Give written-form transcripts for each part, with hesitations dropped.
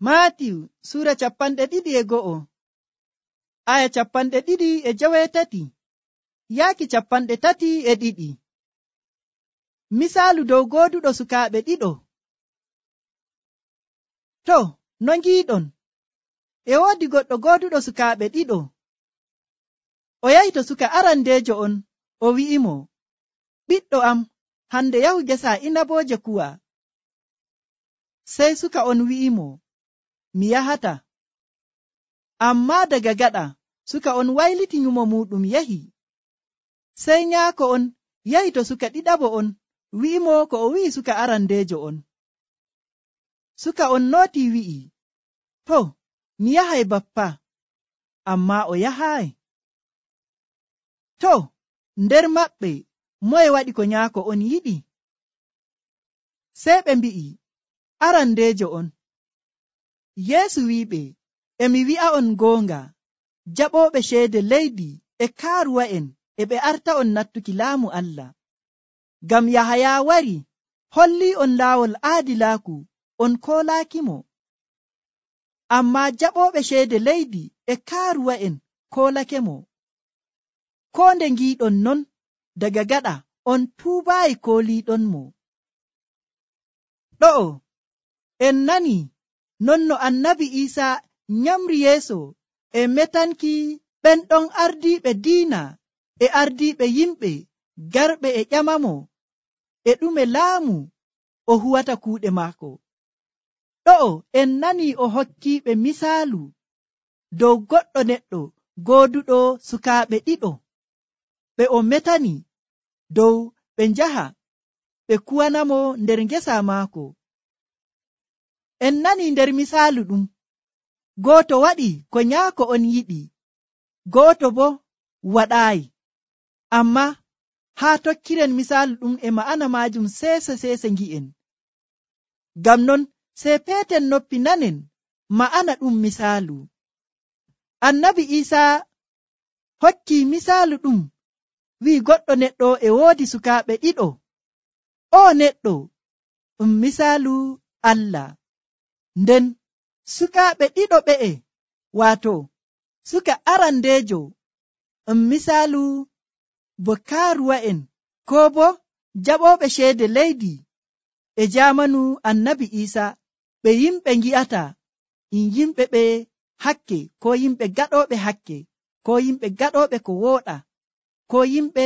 Maatiyu sura 2:1 aya 2:30 yaaki 32. Misaalu dow gooduɗo sukaaɓe ɗiɗo. To, no ngiiɗon, e woodi goɗɗo gooduɗo sukaaɓe ɗiɗo. O yahi to suka arandeejo on, o wi'imo, ɓiɗɗo am, hande yahu gesa inabooje kuwa. Sey suka on wi'imo, mi yahata. Ammaa daga gaɗa, suka on wayliti nyumo muɗum yahi. Sey nyaako on yahi to suka ɗiɗaɓo on, wi'imo ko o wi'i suka arandeejo on. Suka on nooti wi'i, to, mi yahay bappa, ammaa o yahaay. To, nder maɓɓe, moye waɗi ko nyaako on yiɗi? Sey ɓe mbi'i, arandeejo on. Yeesu wi'iɓe, e mi wi'a'on goonga, jaɓooɓe ceede leydi e kaaruwa'en e ɓe arta'on nattuki laamu Allah. Ngam Yahaya wari, holli'on laawol aadilaaku, on koolaakimo. Ammaa jaɓooɓe ceede leydi e kaaruwa'en koolakemo. Koo nde ngiiɗon non, daga gaɗa on tuubaayi kooliiɗonmo. Ɗo'o, en nani non no annabi Iisaa nyamri yeeso e metanki ɓen ɗon ardiiɓe diina e ardiiɓe yimɓe garɓe e ƴamamo e ɗume laamu o huwata kuuɗe maako. Ɗo'o en nani o hokkiiɓe misaalu dow goɗɗo neɗɗo gooduɗo sukaaɓe ɗiɗo ɓe o metani dow ɓe njaha ɓe kuwanamo nder ngesa maako. En nani nder misaalu ɗum, gooto waɗi ko nyaako on yiɗi, gooto bo waɗaayi. Amma haa tokkiren misaalu ɗum e ma'ana maajum seese ngi'en. Ngam non sey peeten noppi nanen ma'ana ɗum misaalu. Annabi Iisaa hokki misaalu ɗum wi'i goɗɗo neɗɗo e woodi sukaaɓe ɗiɗo. O neɗɗo ɗum misaalu Allah. Nden sukaaɓe ɗiɗo ɓe'e, waato suka arandeejo misaalu bo kaaruwa'en koo bo jaɓooɓe ceede leydi e jaamanu annabi Iisaa, ɓe yimɓe ngi'ata yimɓe ɓe hakke, ko yimɓe gaɗooɓe hakke, ko yimɓe gaɗooɓe ko wooɗa, ko yimɓe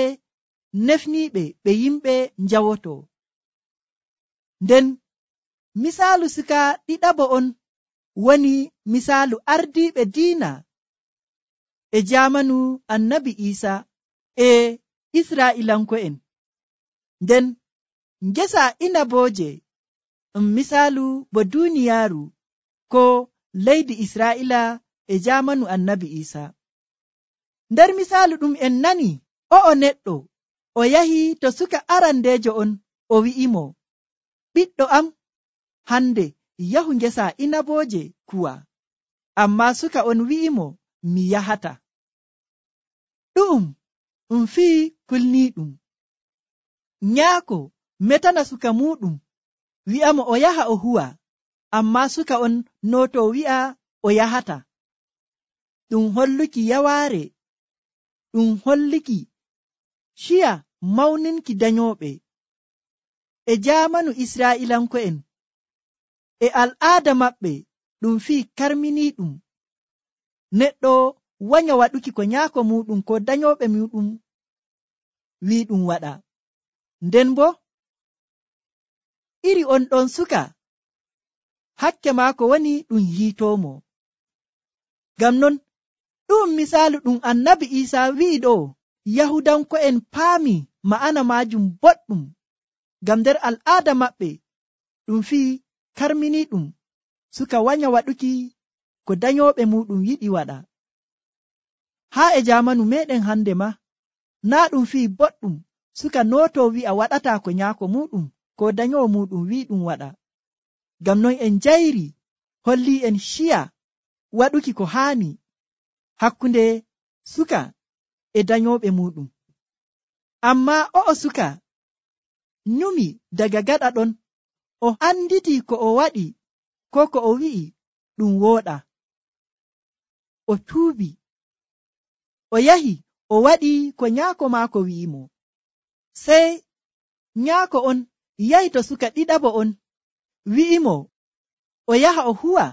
nefniiɓe ɓe yimɓe njawoto. Nden misaalu suka ɗiɗaɓo on woni misaalu ardiiɓe diina e jaamanu annabi Iisaa e Israa'iilanko'en. Nden ngesa inabooje misaalu bo duuniyaaru ko leydi Israa'iila e jaamanu annabi Iisaa. Nder misaalu ɗum en nani o'o neɗɗo o yahi to suka arandeejo on, o wi'imo, ɓiɗɗo am, hande yahu ngesa inabooje kuwa. Ammaa suka on wi'imo, mi yahata. Ɗum fii kulniiɗum. Nyaako metana suka muuɗum, wi'amo o yaha o huwa, ammaa suka on nooto wi'a o yahata. Ɗum holluki yawaare, ɗum holluki ciya mawninki danyooɓe. E jaamanu Israa'iilanko'en e al'aada maɓɓe ɗum fii karminiiɗum. Neɗɗo wanya waɗuki ko nyaako muɗum ko danyooɓe muɗum wi'i ɗum waɗa. Nden bo iri on ɗon suka hakke maako woni ɗum hiitoomo. Ngam non ɗum misaalu ɗum annabi Iisaa wi'i ɗo, Yahudanko'en paami ma'ana maajum boɗɗum. Ngam nder al'aada maɓɓe ɗum fii karminiiɗum suka wanya waɗuki ko danyooɓe muɗum yiɗi waɗa. Haa e jaamanu meɗen hande ma, naa ɗum fii boɗɗum suka nooto wi'a waɗata ko nyaako muɗum ko danyoowo muɗum wi'i ɗum waɗa. Ngam non en jayri holli en ciya waɗuki ko haani hakkunde suka e danyooɓe muɗum. Ammaa o'o suka nyumi daga gaɗa ɗon, o anditi ko o waɗi ko ko o wi'i, ɗum wooɗa. O tuubi, o yahi o waɗi ko nyaako maako wi'imo. Sey nyaako on yahi to suka ɗiɗaɓo on wi'imo o yaha o huwa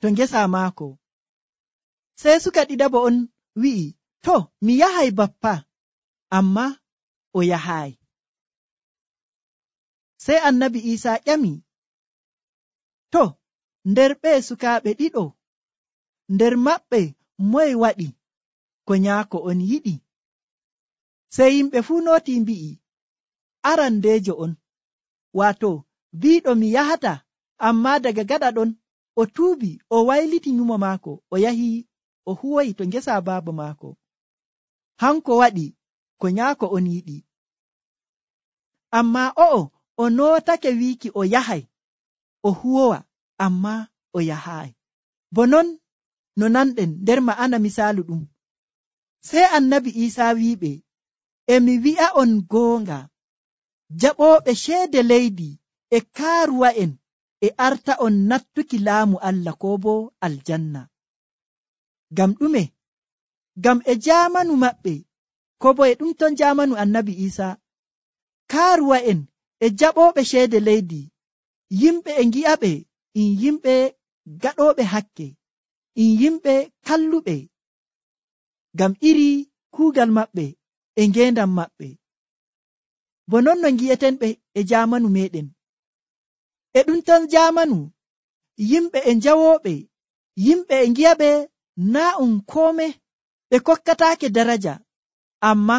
to ngesa maako. Sey suka ɗiɗaɓo on wi'i, to mi yahay bappa, amma o yahaay. Sey annabi Iisaa ƴami, to nder ɓe sukaaɓe ɗiɗo, nder maɓɓe moye waɗi ko nyaako on yiɗi? Sey yimɓe fuu nooti mbi'i, arandeejo on, waato biiɗo mi yahata, amma daga gaɗa ɗon o tuubi, o wayliti nyumo maako, o yahi o huwoyi to ngesa baaba maako. Hanko waɗi ko nyaako on yiɗi. Amma o'o o nootake wiiki o yahay o huwowa, amma o yahaay. Bo non no nanɗen nder ma'ana misaalu ɗum. Sey annabi Iisaa wi'iɓe, e mi wi'a'on goonga, jaɓooɓe ceede leydi e kaaruwa'en e arta'on nattuki laamu Allah koo bo aljanna. Ngam ɗume? Ngam e jaamanu maɓɓe, ko bo e ɗum ton jaamanu annabi Iisaa, kaaruwa'en e jaɓooɓe ceede leydi, yimɓe e ngi'aɓe in yimɓe gaɗooɓe hakke, in yimɓe kalluɓe, ngam iri kuugal maɓɓe e ngeendam maɓɓe. Bo non no ngi'eten ɓe e jaamanu meɗen. E ɗum ton jaamanu, yimɓe e njawooɓe, yimɓe e ngi'aɓe naa um koome, ɓe kokkataake daraja. Amma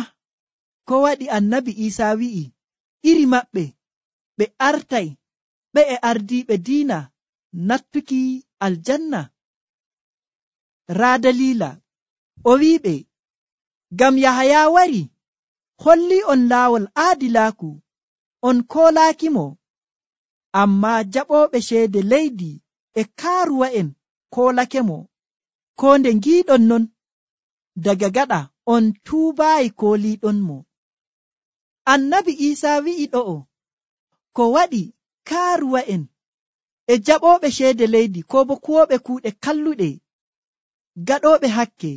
ko waɗi annabi Iisaa wi'i, iri maɓɓe ɓe artay ɓe e ardiiɓe diina nattuki aljanna. Raa dalila o wi'iɓe, ngam Yahaya wari holli on laawol aadilaaku, on koolaakimo, amma jaɓooɓe ceede leydi e kaaruwa'en koolakemo. Ko nde ngiiɗon non, daga gaɗa on tuubaayi kooliiɗonmo. Annabi Iisaa wi'i ɗo'o, ko waɗi kaaruwa'en e jaɓooɓe ceede leydi ko bo kuwoɓe kuuɗe kalluɗe, gaɗooɓe hakke,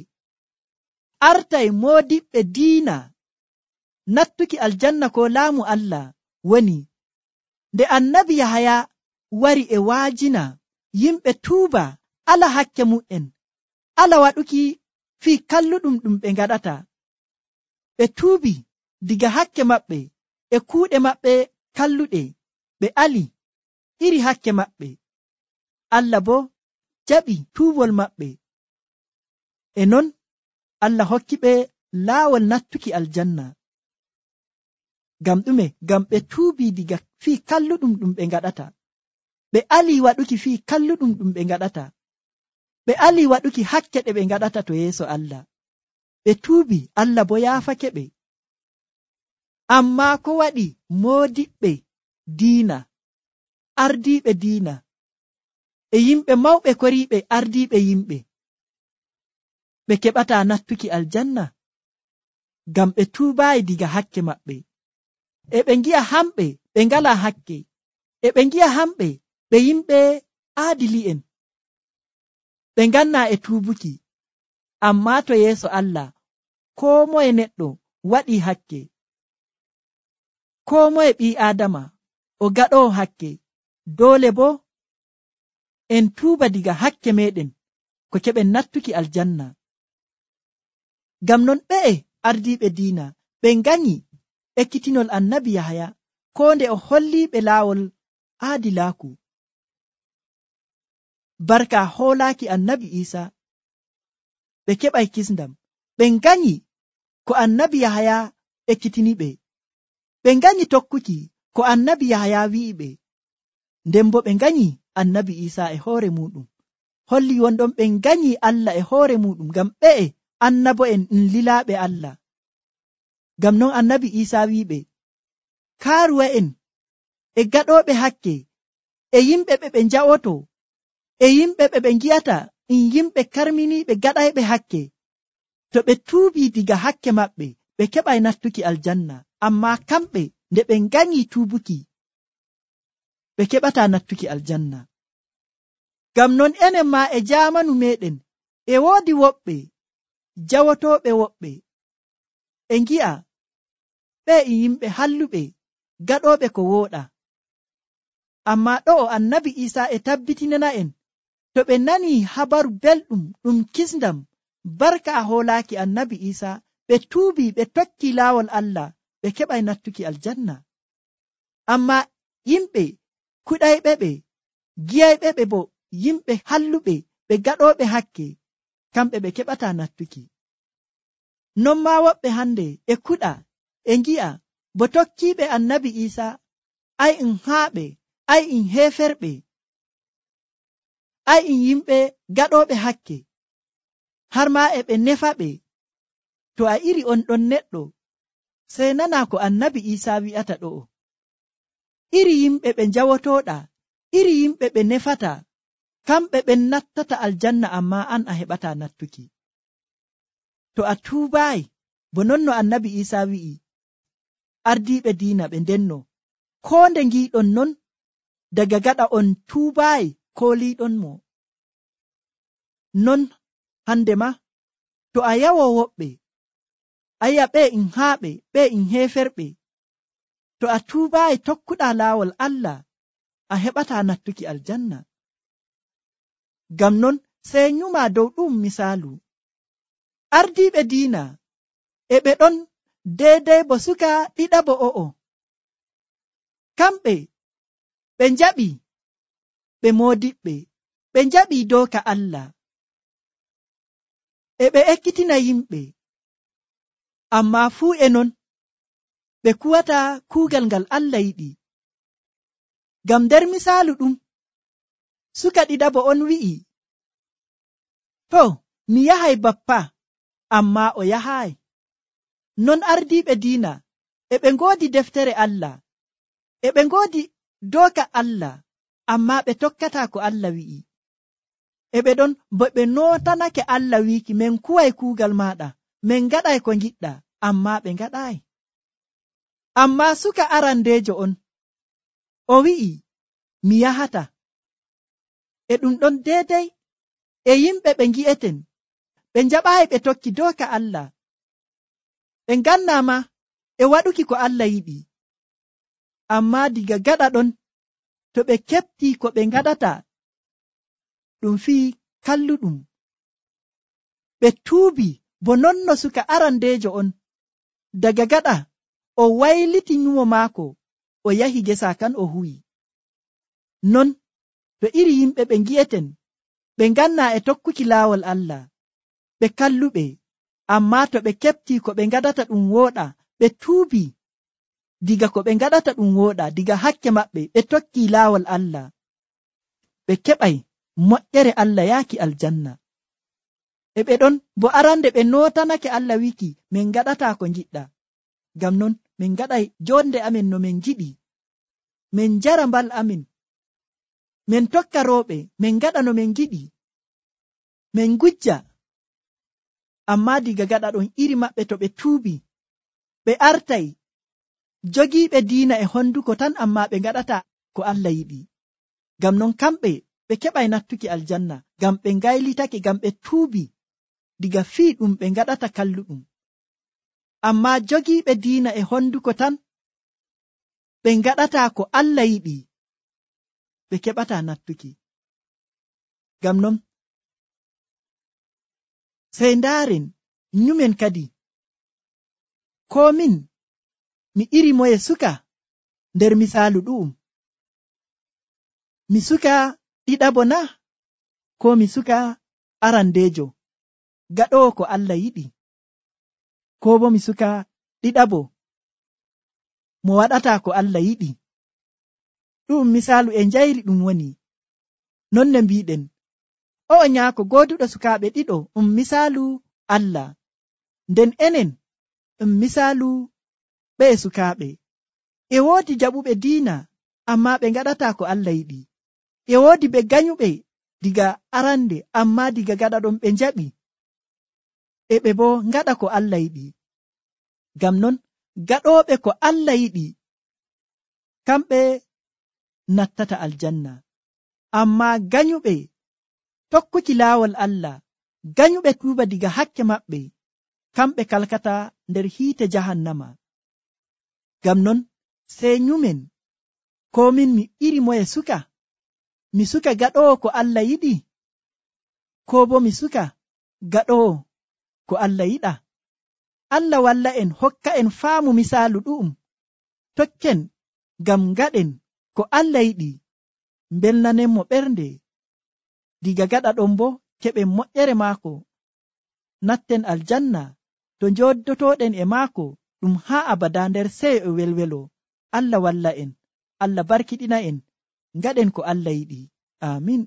artay moodiɓɓe diina nattuki aljanna ko laamu Allah woni nde annabi Yahaya wari e waajina yimɓe tuuba ala hakke mu'en, ala waɗuki fii kalluɗum ɗum ɓe ngaɗata. Ɓe tuubi diga hakke maɓɓe e kuuɗe maɓɓe kalluɗe, ɓe ali iri hakke maɓɓe. Allah bo jaɓi tuubol maɓɓe. E non Allah hokki ɓe laawol nattuki aljanna. Ngam ɗume? Ngam ɓe tuubi diga fii kalluɗum ɗum ɓe ngaɗata. Ɓe ali waɗuki fii kalluɗum ɗum ɓe ngaɗata. Ɓe ali waɗuki hakke ɗe ɓe ngaɗata to yeeso Allah. Ɓe tuubi, Allah bo yaafake ɓe. Amma ko waɗi moodiɓɓe diina, ardiiɓe diina, e yimɓe mawɓe koriiɓe ardiiɓe yimɓe, ɓe keɓata nattuki aljanna, ngam ɓe tuubaayi diga hakke maɓɓe. E ɓe ngi'a hamɓe ɓe ngalaa hakke, e ɓe ngi'a hamɓe ɓe yimɓe aadili'en, ɓe ngannaa e tuubuki. Amma to yeeso Allah, koo moye neɗɗo waɗii hakke, koo moye ɓii aadama o gaɗoo hakke, doole bo en tuuba diga hakke meɗen ko keɓen nattuki aljanna. Ngam non ɓe'e ardiiɓe diina ɓe nganyi ekkitinol annabi Yahaya, ko nde o holliiɓe laawol aadilaaku. Barka hoolaaki annabi Iisaa, ɓe keɓay kisndam. Ɓe nganyi ko annabi Yahaya ekkitiniɓe. Ɓe nganyi tokkuki ko annabi Yahaya wi'iɓe. Nden bo ɓe nganyi annabi Iisaa e hoore muɗum. Holli wonɗon ɓe nganyi Allah e hoore muɗum, ngam ɓe'e annabo'en lilaaɓe Allah. Ngam non annabi Iisaa wi'iɓe, kaaruwa'en e gaɗooɓe hakke, e yimɓe ɓe nja'oto, e yimɓe ɓe ngi'ata in yimɓe karminiiɓe gaɗayɓe hakke, to ɓe tuubi diga hakke maɓɓe, ɓe keɓay nattuki aljanna. Amma kamɓe nde ɓe nganyi tuubuki, ɓe keɓata nattuki aljanna. Ngam non enen ma e jaamanu meɗen e woodi woɓɓe jawotooɓe woɓɓe e ngi'a ɓe e yimɓe halluɓe gaɗooɓe ko wooɗa. Ammaa ɗo'o annabi Iisaa e tabbitinana en to ɓe nanii habaru belɗum ɗum kisndam barka a hoolaaki annabi Iisaa ɓe tuubii ɓe tokkii laawol Allah ɓe keɓay nattuki aljanna. Ammaa yimɓe kuɗayɓe ɓe giyayɓe ɓe bo yimɓe halluɓe ɓe gaɗooɓe hakke kamɓe ɓe keɓataa nattuki. Non maa woɓɓe hande e kuɗa e ngi'a bo tokkiiɓe annabi Iisaa ay en haaɓe ay en heeferɓe ay en yimɓe gaɗooɓe hakke har maa e ɓe nefaɓe. To a iri on ɗon neɗɗo sey nana ko annabi Iisaa wi'ata ɗo'o. Iri yimɓe ɓe njawotooɗa, iri yimɓe ɓe nefata, kamɓe ɓen nattata aljanna, ammaa an a heɓataa nattuki. To a tuubaayi bo non no annabi Iisaa wi'i ardiiɓe diina ɓe ndenno koo nde ngiiɗon non daga gaɗa on tuubaayi kooliiɗon mo. Non hande ma to a yawo woɓɓe a yi'a ɓe in haaɓe ɓe in heeferɓe, to a tuubaayi tokkuɗaa laawol Allah a heɓataa nattuki aljanna. Ngam non sey nyumaa dow ɗum misaalu ardiiɓe diina e ɓe ɗon deydey bo suka ɗiɗaɓo o'o. Kamɓe ɓe njaɓi ɓe moodiɓɓe, ɓe njaɓi dooka Allah e ɓe ekkitina yimɓe, ammaa fuu e non ɓe kuwata kuugal ngal Allah yiɗi. Ngam nder misaalu ɗum suka ɗiɗaɓo on wi'i to mi yahay bappa, ammaa o yahaay. Non ardiiɓe diina e ɓe ngoodi deftere Allah e ɓe ngoodi dooka Allah, ammaa ɓe tokkataa ko Allah wi'i. E ɓe ɗon bo ɓe nootanake Allah wiiki min kuway kuugal maaɗa, min ngaɗay ko ngiɗɗa, ammaa ɓe ngaɗaayi. Ammaa suka arandeejo on o wi'i mi yahata. E ɗum ɗon deedey e yimɓe ɓe ngi'eten ɓe njaɓaayi ɓe tokki dooka Allah, ɓe ngannaama e waɗuki ko Allah yiɗi. Ammaa diga gaɗa ɗon to ɓe keɓtii ko ɓe ngaɗata ɗum fii kalluɗum, ɓe tuubi bo non no suka arandeejo on daga gaɗa o wayliti nyumo maako o yahi gesa kan o huwi. Non to iri yimɓe ɓe ngi'eten ɓe ngannaa e tokkuki laawol Allah ɓe kalluɓe, ammaa to ɓe keɓtii ko ɓe ngaɗata ɗum wooɗa ɓe tuubi diga ko ɓe ngaɗata ɗum wooɗa diga hakke maɓɓe ɓe tokkii laawol Allah, ɓe keɓay moƴƴere Allah yaaki aljanna. E ɓe ɗon bo arande ɓe nootanake Allah wiki min ngaɗataa ko ngiɗɗa. Ngam non min ngaɗay jonde amin no min giɗi, min njara mbal amin, min tokka rooɓe, min ngaɗa no min giɗi, min ngujja. Ammaa diga gaɗa ɗon iri maɓɓe to ɓe tuubi ɓe artay jogiiɓe diina e honduko tan, ammaa ɓe ngaɗata ko Allah yiɗi. Ngam non kamɓe ɓe keɓay nattuki aljanna, ngam ɓe ngaylitake, ngam ɓe tuubi diga fii ɗum ɓe ngaɗata kalluɗum. Ammaa jogiiɓe diina e honduko tan ɓe ngaɗataa ko Allah yiɗi, ɓe keɓataa nattuki. Ngam non sey ndaaren nyumen kadi ko min mi iri moye suka nder misaalu ɗu'um, mi suka ɗiɗaɓo na ko mi suka arandeejo gaɗowo ko Allah yiɗi, ko bo mi suka ɗiɗaɓo mo waɗataa ko Allah yiɗi. Ɗum misaalu e njayri ɗum woni non ne mbiɗen o'o nyaako gooduɗo sukaaɓe ɗiɗo misaalu Allah, nden enen misaalu ɓe sukaaɓe. E woodi jaɓuɓe diina ammaa ɓe ngaɗataa ko Allah yiɗi, e woodi ɓe ganyuɓe diga arande ammaa diga gaɗa ɗon ɓe njaɓi e ɓe bo ngaɗa ko Allah yiɗi. Ngam non gaɗooɓe ko Allah yiɗi kamɓe nattata aljanna, ammaa ganyuɓe tokkuki laawol Allah, ganyuɓe tuuba diga hakke maɓɓe, kamɓe kalkata nder hiite jahannama. Ngam non sey nyumen, ko min mi iri moye suka? Mi suka gaɗowo ko Allah yiɗi, ko bo mi suka gaɗowo ko Allah yiɗa? Allah walla en, hokka en faamu misaalu ɗu'um, tokken ngam ngaɗen ko Allah yiɗi, mbelnanenmo ɓernde. Diga gaɗa ɗon bo keɓen moƴƴere maako, natten aljanna to njoddotoɗen e maako ɗum haa abada nder seyo e welwelo. Allah walla en, Allah barkiɗina en, ngaɗen ko Allah yiɗi. Amin.